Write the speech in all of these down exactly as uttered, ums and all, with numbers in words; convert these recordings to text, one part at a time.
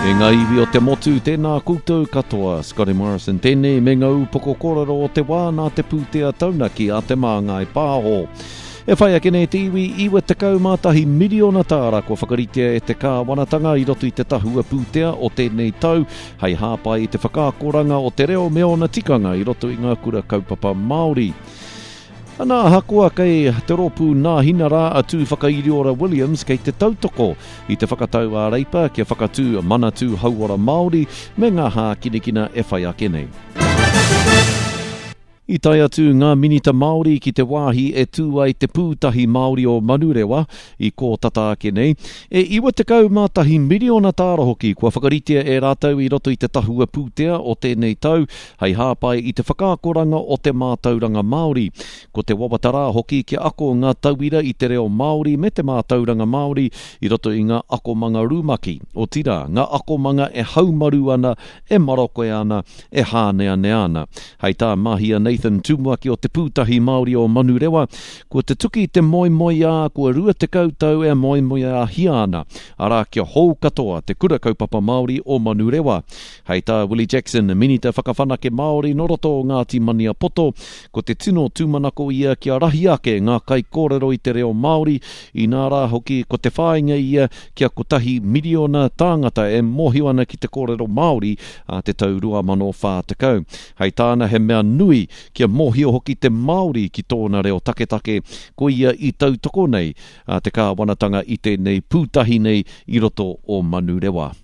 E ngā iwi o te motu, tēnā koutou katoa. Scotty Morrison tēnei me ngā upoko kōrero o te wā nā te pūtea taunaki a Te Māngai Pāho. E whai ake nei te iwi iwa tekau mā tahi miriona tāra kua whakaritea e te kāwanatanga i roto i te tahua pūtea o tēnei tau hei hāpai i te whakaakoranga o te reo me ōna tikanga i roto i ngā kura kaupapa Māori. Ana ahakoa kei te rōpū Nāhinara a Tūwhakairiora Williams kei te tautoko i te whakatau a Reipa kia whakatū Manatū Hauora Māori me ngā hākinakina e whai ake nei. I tae atu ngā minita Māori ki te wāhi e tū ai te pūtahi Māori o Manurewa i kō tata ake nei. E iwa tekau mā tahi miriona tāra hoki kua whakaritea e rātou i roto i te tahua pūtea o tēnei tau hei hāpai i te whakaakoranga o te mātauranga Māori. Ko te wawata rā hoki kia ako ngā tauira i te reo Māori me te mātauranga Māori i roto i ngā akomanga rumaki. Otirā, ngā akomanga e haumaru ana, e maroke ana, e hāneanea ana. Hei tā Mahia Nathan Tumuaki o te Pūtahi Māori o Manurewa, kua te tuki te moemoeā, kua rua tekau tau e moemoeāhia ana, arā kia hou katoa te kura kaupapa Māori o Manurewa. Hei tā Willie Jackson, Minita Whakawhanake Māori nō roto o Ngāti Maniapoto, ko te tino tūmanako ia kia rahi ake ngā kaikōrero i te reo Māori, inā rā hoki ko te whāinga ia kia kotahi miriona tāngata e mōhio ana ki te kōrero Māori a te tau rua mano whā tekau. Hei tāna he mea nui kia mōhio hoki te Māori ki tōna reo taketake, ko ia i tautoko nei a te kāwanatanga i tēnei pūtahi nei i roto o Manurewa.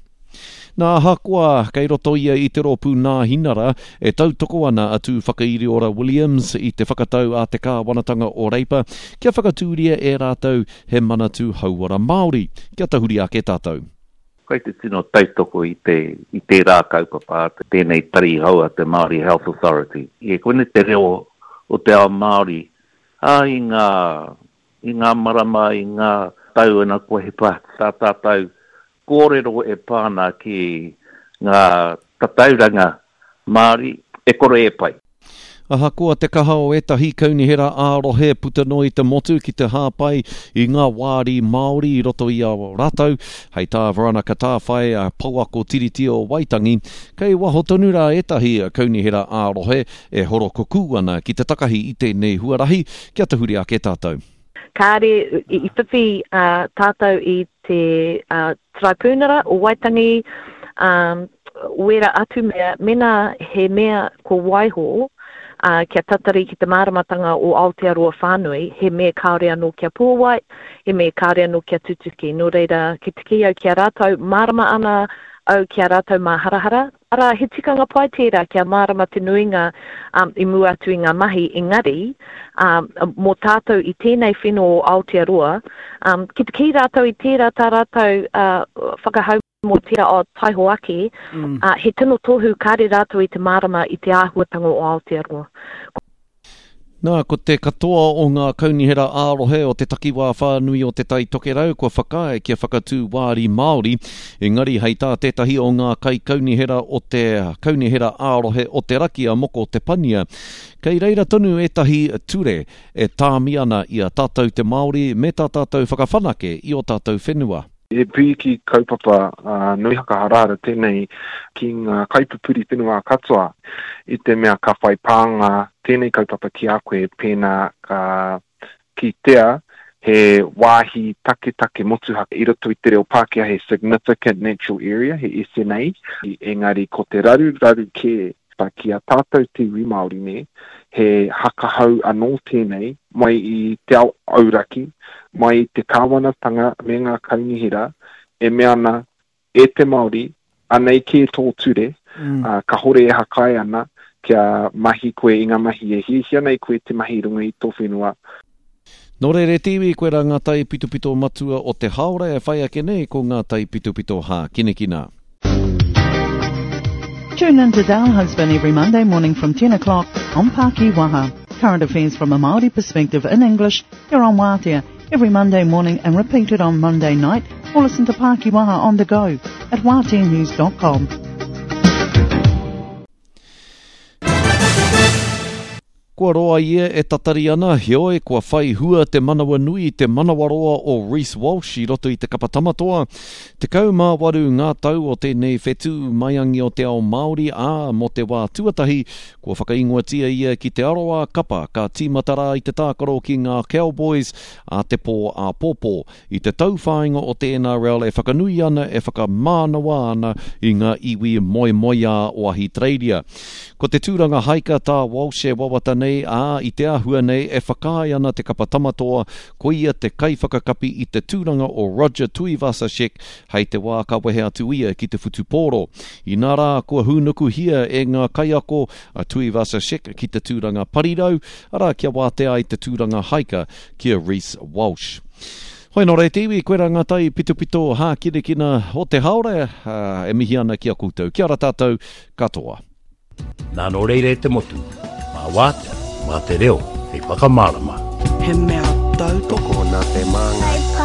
Nā ahakoa kei roto ia i te rōpū Nāhinara e tautoko ana a Tūwhakairiora Williams i te whakatau a te kāwanatanga o Reipa kia whakatūria e rātou he Manatū Hauora Māori. Kia tahuri ake tātou. Kei te tino tautoko i te, i tērā kaupapa, tēnei tari hou a te Māori Health Authority. E koinei te reo o te ao Māori, ā, i ngā, i ngā marama, i ngā tau ana kua hipa tā tātou kōrero e pā ana ki ngā tatauranga Māori e kore e pai. Ahakoa te kaha o ētahi kaunihera ā-rohe puta noa i te motu ki te hāpai i ngā wāri Māori i roto i a rātou, hei tā Veronica Tāwhai, a Pouako Tiriti o Waitangi, kei waho tonu rā ētahi kaunihera ā-rohe e horokukū ana ki te takahi i tēnei huarahi, kia tahuri ake tātou. Kāre i whiwhi uh, tātou i te uh, Tribunara o Waitangi, um, wera atu mea, mena he mea ko waiho, uh, kia tatari ki te māramatanga o Aotearoa whānui, he mea kāore anō kia pōwai, he mea kāore anō kia tutuki. Nō reira, ki te kī au ki a rātou, mārama ana au ki a rātou māharahara. Arā, he tikanga pai tērā kia mārama te nuinga um, i mua atu i ngā mahi engari, um, mō tātou i tēnei whenua o Aotearoa, um, ki te kī rātou i tērā tā rātou uh, whakahau mō tērā o taiho ake, mm. uh, he tino tohu kāre rātou i te mārama i te āhuatanga o Aotearoa. Nā, ko te katoa o ngā kaunihera ā-rohe o te takiwā whānui o Te Tai Tokerau kua whakaae kia whakatū wāri Māori, engari hei tā tētahi o ngā kaikaunihera o te kaunihera ā-rohe o te raki a Moko Te Pania. Kei reira tonu ētahi ture e tāmi ana i a tātou te Māori me tā tātou whakawhanake i o tātou whenua. He pīki kaupapa uh, nui hakaharahara tēnei ki ngā kaipupuri whenua katoa i te mea ka whai pānga tēnei kaupapa ki a koe pēnā ka kitea he wāhi taketake motuhake i roto i te reo Pākehā he significant natural area, he S N A, engari ko te raru raru kē ki a tātou te iwi Māori nei, he hakahau anō tēnei mai i te ao auraki, mai i te kāwanatanga me ngā kaunihera e mea ana e te Māori, anei kē tō ture, mm. uh, ka hore e hakai ana kia mahi koe i ngā mahi e hiahia nei koe te mahi runga i tō whenua. Nō reira te iwi, koe rā ngā taipitopito matua o te haora e whai ake nei ko ngā taipitopito hākinakina. Tune in to Dale Husband every Monday morning from ten o'clock on Pākiwaha. Current affairs from a Māori perspective in English here on Waatea every Monday morning and repeated on Monday night, or listen to Pākiwaha on the go at waatea news dot com. Kua roa ia e tatari ana, heoi kua whai hua te manawanui, te manawaroa o Reece Walsh i roto i te kapa tamatoa. Tekau mā waru ngā tau o tēnei whetū maiangi o te ao Māori, ā, mō te wā tuatahi, kua whakaingoatia ia ki te aroā kapa ka tīmata rā i te tākaro ki ngā Cowboys a te pō āpōpō. I te tauwhāinga o te N R L e whakanui ana, e whakamānawa ana i ngā iwi moemoeā o Ahitereiria. Ko te tūranga haika tā Walsh e wawata nei, ā, i te āhua nei e whakaae ana te kapa tamatoa, ko ia te kaiwhakakapi i te tūranga o Roger Tuivasa-Sheck hei te wā ka wehe atu ia ki te whutupōro. Inā rā, kua hūnukuhia e ngā kaiako a Tuivasa-Sheck ki te tūranga parirau, arā kia wātea ai te tūranga haika ki a Reece Walsh. Hoi nō re te iwi, koe rā ngā tai pitopito hākinakina o te haore, ā, e mihi ana ki a koutou. Kia ora tātou katoa. Nā nō reira e te motu, mā wātea, mā te reo, hei whakamārama. He mea tautoko nā te māngai.